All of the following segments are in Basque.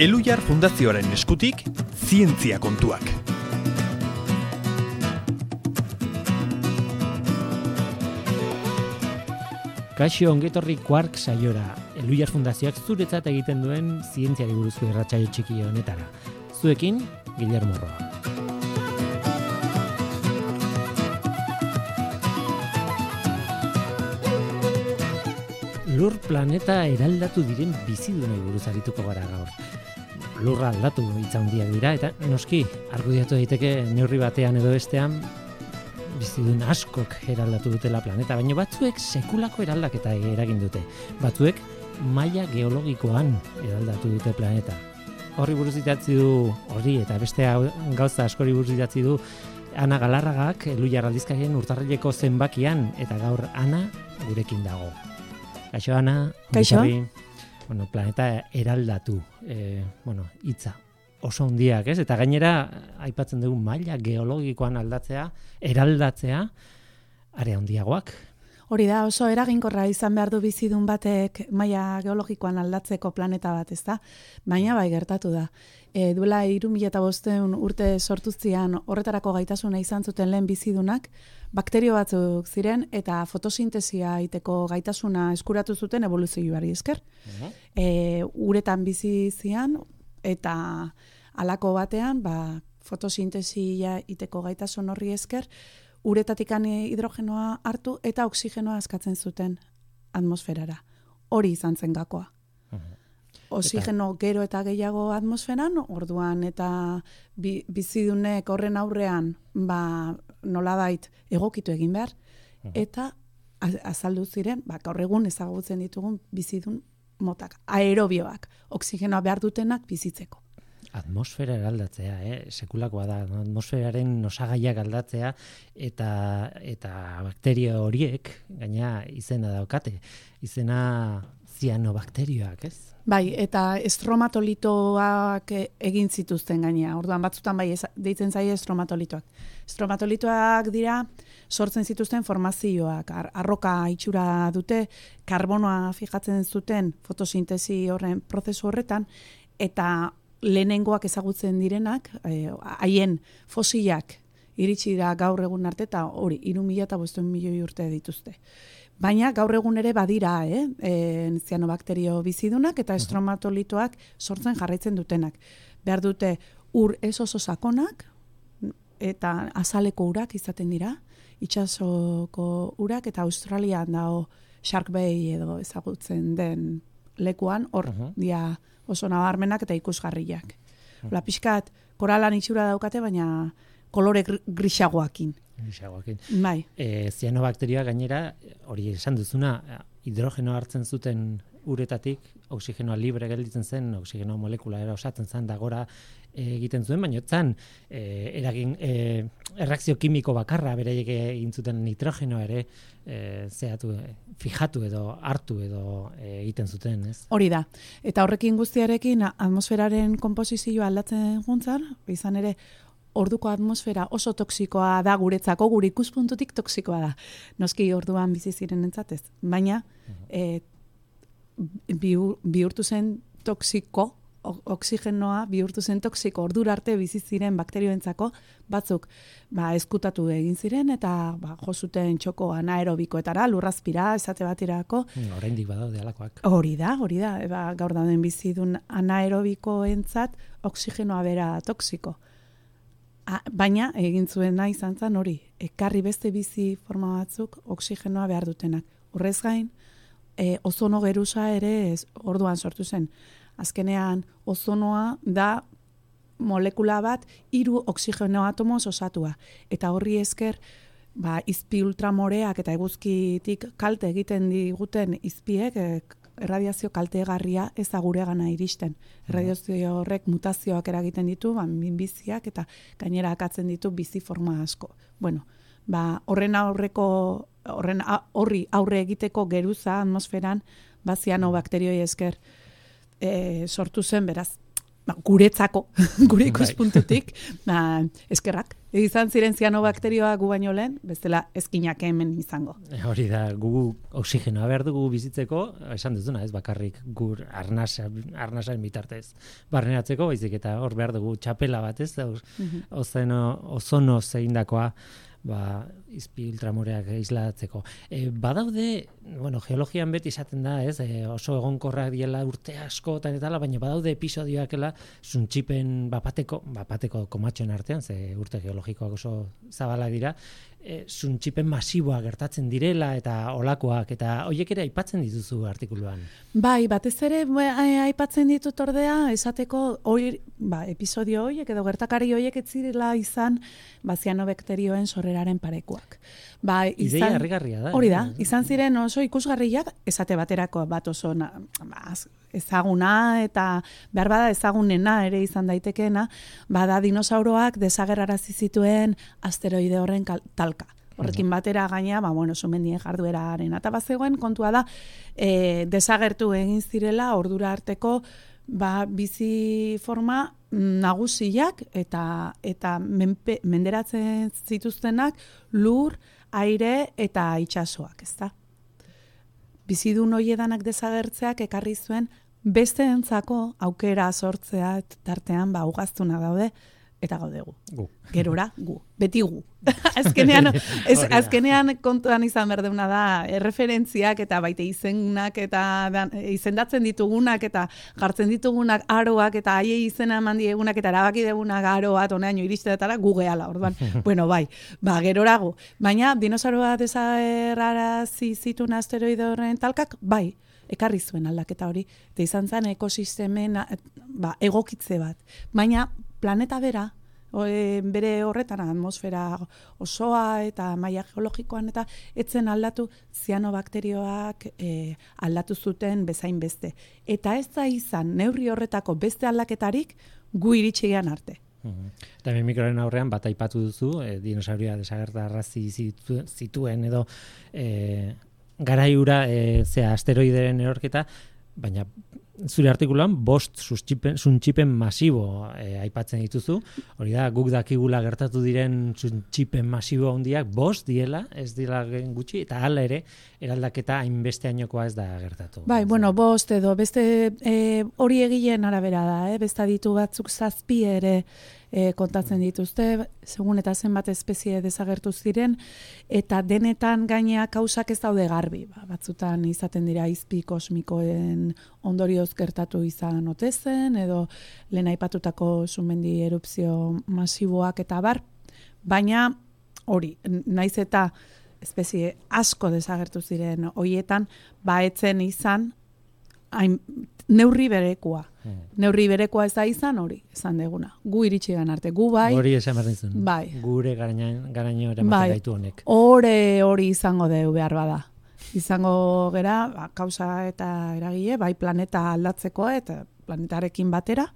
Elhuyar Fundazioaren eskutik, zientzia kontuak. Kaixo ongetorri Quark saiora, Elhuyar Fundazioak zuretzat egiten duen zientziari buruzko irratsaio txiki honetara. Zuekin, Guillermo Roa. Lur planeta eraldatu diren bizidunei buruz arituko gara gaur. Lurra aldatu hitz handiak dira eta noski argudiatu daiteke neurri batean edo bestean bizidun askok eraldatu dutela planeta, baina batzuek sekulako eraldaketa eragin dute. Batzuek maila geologikoan eraldatu dute planeta. Horri buruz idatzi du, hori eta beste gauza askori buruz idatzi du Ana Galarragak Elhuyar aldizkarien urtarrileko zenbakian, eta gaur Ana gurekin dago. Kaixo, Ana. Kaixo. Bueno, planeta eraldatu, hitza oso handiak, ez? Eta gainera, aipatzen dugu maila geologikoan eraldatzea, are handiagoak. Hori da, oso eraginkorra izan behar du bizidun batek maila geologikoan aldatzeko planeta bat, ez da? Baina bai gertatu da. Duela 3500 urte sortuztian horretarako gaitasuna izan zuten lehen bizidunak, bakterio batzuk ziren eta fotosintesia egiteko gaitasuna eskuratu zuten evoluzioari esker. Uretan bizi zian eta halako batean, fotosintesia egiteko gaitasun horri esker, uretatikan hidrogenoa hartu eta oksigenoa askatzen zuten atmosferara. Hori izan zen gakoa. Oxigeno gero eta gehiago atmosferan, orduan eta bizidunek horren aurrean nolabait egokitu egin behar, eta azaldu ziren, gaur egun ezagutzen ditugun bizidun motak, aerobioak, oksigenoa behar dutenak bizitzeko. Atmosfera eraldatzea, sekulakoa da, atmosferaren osagaiak aldatzea eta bakterio horiek, gaina izena daukate, izena zianobakterioak, ez? Bai, eta estromatolitoak egin zituzten gainea. Orduan batzutan deitzen zaie estromatolitoak. Estromatolitoak dira sortzen zituzten formazioak, arroka itxura dute, karbonoa fijatzen zuten fotosintesi horren prozesu horretan, eta lehenengoak ezagutzen direnak, haien fosilak iritsi da gaur egun arte, eta hori, 3.500 milioi urte dituzte. Baina gaur egun ere badira, zianobakterio bizidunak eta estromatolitoak sortzen jarraitzen dutenak. Behar dute ur ez oso sakonak eta azaleko urak izaten dira, itsasoko urak, eta Australian dago Shark Bay edo ezagutzen den lekuan, hor dia oso nabarmenak eta ikusgarriak. Pixkat, koralan itxura daukate, baina kolore grisagoakin. Bai. Zianobakterioa gainera, hori esan duzuna, hidrogeno hartzen zuten uretatik, oksigenoa libre gelditzen zen, oksigeno molekula osatzen zen, da gora egiten zuen, baina zan erreakzio kimiko bakarra beraiek egin zuten nitrogenoa ere fijatu edo hartu edo egiten zuten, ez? Hori da. Eta horrekin guztiarekin atmosferaren konposizioa aldatzen juntzan, izan ere orduko atmosfera oso toksikoa da guretzako, gure ikuspuntutik toksikoa da. Noski orduan bizi ziren entzatez. Baina bihurtu zen toksiko, oksigenoa bihurtu zen toksiko, ordura arte bizi ziren bakterioentzako batzuk ezkutatu egin ziren eta jo zuten txoko anaerobikoetara, lurrazpira, esate baterako. Oraindik badaude halakoak. Hori da. Gaur dauden bizidun anaerobikoentzat oksigenoa bera toksiko. Baina egin zuena izan zen hori, ekarri beste bizi forma batzuk oksigenoa behar dutenak. Horrez gain, ozono geruza ere orduan sortu zen. Azkenean, ozonoa da molekula bat 3 oksigeno atomoz osatua. Eta horri esker, izpi ultramoreak eta eguzkitik kalte egiten diguten izpiek, erradiazio kaltegarria ez da guregana iristen. Erradiazio horrek mutazioak eragiten ditu, minbiziak eta gainera akatzen ditu bizi forma asko. Bueno, horri aurre egiteko geruza atmosferan zianobakterioi esker sortu zen, beraz, guretzako, gure ikuspuntutik, eskerrak. izan ziren zianobakterioak gu baino lehen, bestela ezkinak hemen izango. Hori da, gu oxigenoa behar dugu bizitzeko, esan duzuna, ez bakarrik gur arnasaren bitartez barneratzeko, baizik eta hor behar dugu txapela bat, ez? Ozono zeindakoa, izpi ultramoreak islatzeko. Badaude, geologian beti izaten da, ez? Oso egonkorrak diela urte askotan eta baina badaude episodioakela zuntxipen bapateko komatxoen artean, ze urte geologikoak oso zabalak dira, zuntxipen masiboa gertatzen direla eta olakoak, eta horiek ere aipatzen dituzu artikuluan. Bai, batez ere aipatzen ditut ordea, esateko episodio horiek edo gertakari horiek ez zirela izan zianobakterioen sorreraren parekuak. Ideia harrigarria da. Hori da, izan ziren oso ikusgarriak, esate baterako bat oso ezaguna eta behar bada ezagunena ere izan daitekeena, bada dinosauroak desagerrarazi zituen asteroide horren talka. Horrekin batera gaina, sumendien jardueraren. Eta bazegoen kontua da, desagertu egin zirela ordura arteko bizi forma nagusiak eta menderatzen zituztenak lur, aire eta itsasoak, ezta? Bizidun horiedanak desagertzeak ekarri zuen besteentzako aukera sortzea tartean ugaztunak daude eta gaude gu. Gerora gu, beti gu. Azkenean kontuan izan berduna da erreferentziak eta baite izenak eta izendatzen ditugunak eta jartzen ditugunak aroak eta haiei izena eman diegunak eta erabaki degunak aroa toneaino iristeetara gu gehala, orduan. Gerora gu. Baina dinosauroa desagerrarazi zituen asteroide horren talkak, ekarri zuen aldaketa hori. Eta izan zen ekosistemen egokitze bat. Baina planeta bera, bere horretan atmosfera osoa eta maila geologikoan eta etzen aldatu zianobakterioak aldatu zuten bezain beste. Eta ez da izan neurri horretako beste aldaketarik gu iritsi arte. Eta hemen mikroaren aurrean bat aipatu duzu, dinosauria desagerrarazi zituen edo garaiura asteroideren erorketa, baina zure artikuluan 5 zuntxipen masibo aipatzen dituzu. Hori da, guk dakigula gertatu diren zuntxipen masibo handiak 5 diela, ez dira gutxi, eta hala ere, eraldaketa hainbeste ainokoa ez da gertatu. 5 edo beste hori egileen arabera da, beste ditu batzuk 7 ere kontatzen dituzte, segun eta zenbat espezie desagertu ziren, eta denetan gainea kausak ez daude garbi. Batzutan izaten dira izpi kosmikoen ondorioz gertatu izan ote zen, edo lehen aipatutako sumendi erupzio masiboak eta bar, baina hori, naiz eta espezie asko desagertu ziren hoietan, etzen izan neurri berekoa. Neurri berekoa ez da izan hori, esan deguna. Gu iritsi gan arte, gu bai. Hori esan behar dizun. Gure garaino eramaten gaitu honek. Hori izango deu behar bada. Izango gera, kausa eta eragile, planeta aldatzeko eta planetarekin batera,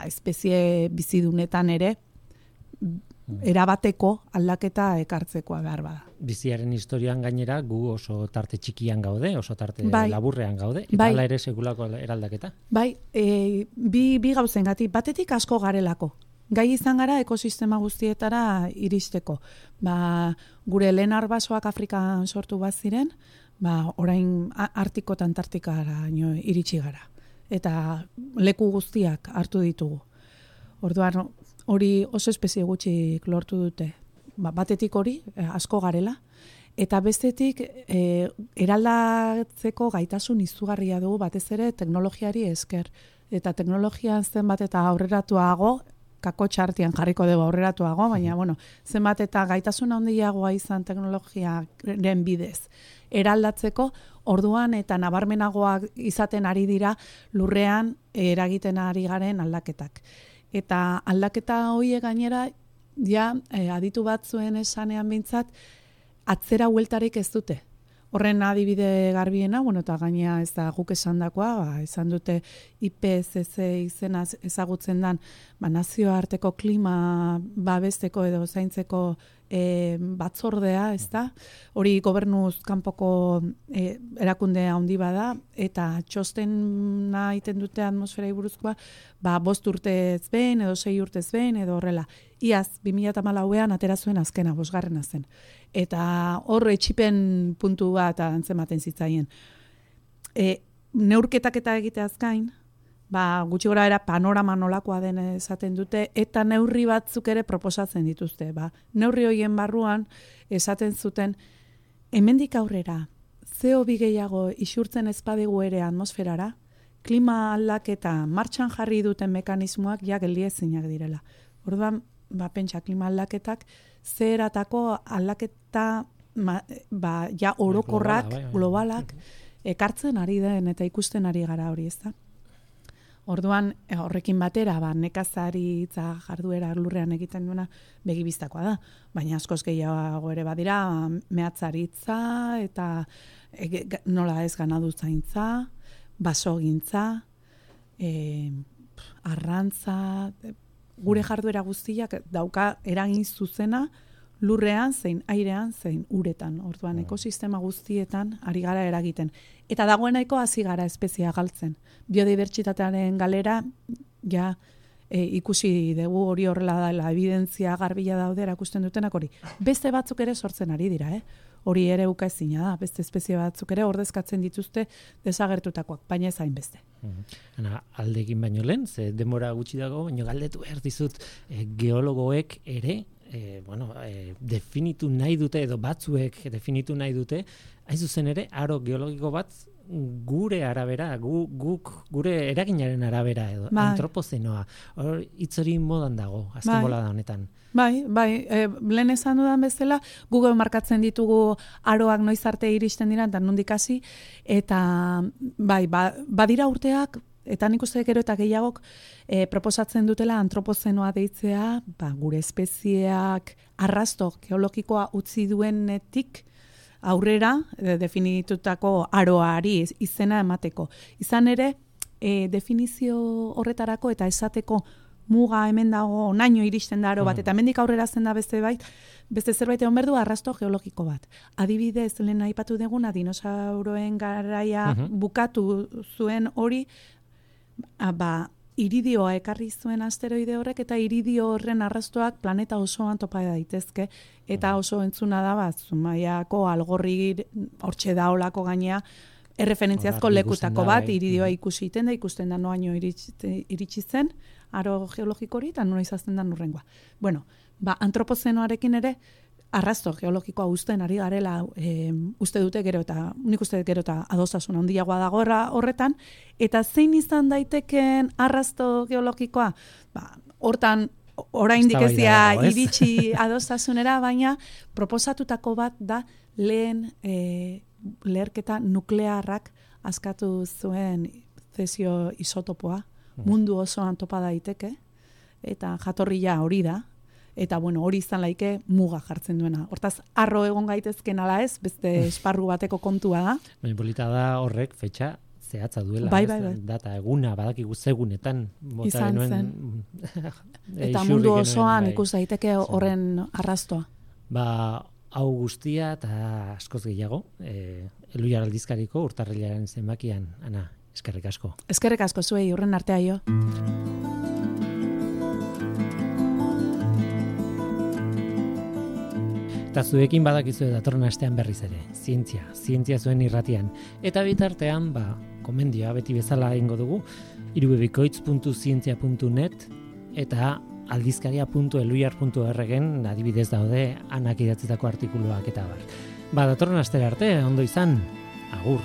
espezie bizidunetan ere erabateko aldaketa ekartzekoa behar bada. Biziaren historian gainera gu oso tarte txikian gaude, oso tarte laburrean gaude, eta hala ere sekulako eraldaketa. Bi gauzengatik, batetik asko garelako. Gai izan gara ekosistema guztietara iristeko. Gure lehen arbasoak Afrikan sortu bat ziren, orain Artiko eta Antartikara iritsi gara. Eta leku guztiak hartu ditugu. Orduan, hori oso espezie gutxik lortu dute. Batetik hori, asko garela, eta bestetik eraldatzeko gaitasun izugarria dugu batez ere teknologiari esker. Eta teknologian zenbat eta aurreratuago, kakotxartian jarriko dugu aurreratuago, baina zenbat eta gaitasun handiagoa izan teknologiaren bidez eraldatzeko, orduan eta nabarmenagoak izaten ari dira lurrean eragiten ari garen aldaketak. Eta aldaketa horiek gainera, aditu batzuen esanean bintzat, atzera hueltarik ez dute. Horren adibide garbiena, eta gaina ez da guk esandakoa, esan dute IPCC izena ezagutzen dan, nazioarteko klima babesteko edo zaintzeko batzordea, ez da? Hori gobernuz kanpoko erakunde handi bada, eta txostena egiten dute atmosferai buruzkoa, 5 urtez behin, edo 6 urtez behin, edo horrela. Iaz, 2014an atera zuen azkena, 5. zen. Eta hor etxipen puntu bat antzematen zitzaien. Neurketak eta egiteaz gain, gutxi gora era panorama nolakoa den esaten dute, eta neurri batzuk ere proposatzen dituzte. Neurri horien barruan esaten zuten, hemendik aurrera, CO2 gehiago isurtzen ezpadegu ere atmosferara, klima aldaketa martxan jarri duten mekanismoak ja geldiezinak direla. Orduan, pentsa klima aldaketak, zeratako aldaketa ja orokorrak, globalak, ekartzen ari den eta ikusten ari gara hori, ez da? Orduan, horrekin batera, nekazaritza jarduera lurrean egiten duena begibistakoa da. Baina askoz gehiago ere badira, mehatzaritza eta nola ez ganadutzaintza, basogintza, arrantza, gure jarduera guztiak dauka eragin zuzena lurrean, zein airean, zein uretan. Orduan, ekosistema guztietan ari gara eragiten. Eta dagoenaiko hasi gara espeziea galtzen. Biodibertsitatearen galera, ja, ikusi dugu hori horrela dela, evidentzia garbila daude erakusten dutenak hori. Beste batzuk ere sortzen ari dira, Hori ere ukaezina da, beste espezie batzuk ere ordezkatzen dituzte desagertutakoak, baina ez hainbeste. Aldegin baino lehen, ze denbora gutxi dago, baino galdetu behar dizut, geologoek ere, definitu nahi dute, edo batzuek definitu nahi dute, hain zuzen ere, aro geologiko bat gure arabera, gure eraginaren arabera, edo antropozenoa. Hitz hori modan dago, azken bolada honetan. Bai, lehen esan dudan bezala, Google markatzen ditugu aroak noiz arte iristen dira, eta nondik hasi, eta badira urteak, eta nik uste gero eta gehiagok proposatzen dutela antropozenoa deitzea, gure espezieak arrasto geologikoa utzi duenetik aurrera definitutako aroari izena emateko. Izan ere, definizio horretarako eta esateko muga hemen dago, onaino iristen da aro bat, eta hemendik aurrera zen da beste zerbait egon berdu arrasto geologiko bat. Adibidez, lehen aipatu deguna, dinosauroen garaia bukatu zuen hori, iridioa ekarri zuen asteroide horrek, eta iridio horren arrastoak planeta osoan topa daitezke, eta oso entzuna da, Zumaiako algorri hortxe da olako gainea, erreferentziazko lekutako bat, iridioa ikusten da noaino iritsi zen, aro geologiko hori, eta nola izazten da nurrengoa. Antropozenoarekin ere, arrasto geologikoa uzten ari garela, uste dute gero eta adostasun handiagoa dago horretan, eta zein izan daiteken arrasto geologikoa? Hortan, oraindik ezia iritsi adostasunera, baina proposatutako bat da lehen leherketa nuklearrak askatu zuen zesio isotopoa, mundu osoan topa daiteke, eta jatorria hori da, eta hori izan laike muga jartzen duena. Hortaz, arro egon gaitezken ala ez, beste esparru bateko kontua da. Baina polita da horrek fetxa zehatza duela. Bai. Data eguna, badakigu zegunetan. Izan zen. Eta mundu osoan ikus daiteke horren arrastoa. Hau guztia eta askoz gehiago, Elhuyar aldizkariko urtarrilaren zenbakian, Ana, eskerrik asko. Eskerrik asko zuei, horren artea jo. Eta zuekin badakizu datorren astean berriz ere, zientzia zuen irratian. Eta bitartean, komendioa beti bezala egingo dugu, irubebikoitz.zientzia.net eta aldizkaria.elhuyar.org-en adibidez daude Anak idatzitako artikuluak eta bar. Datorren astera arte, ondo izan, agur.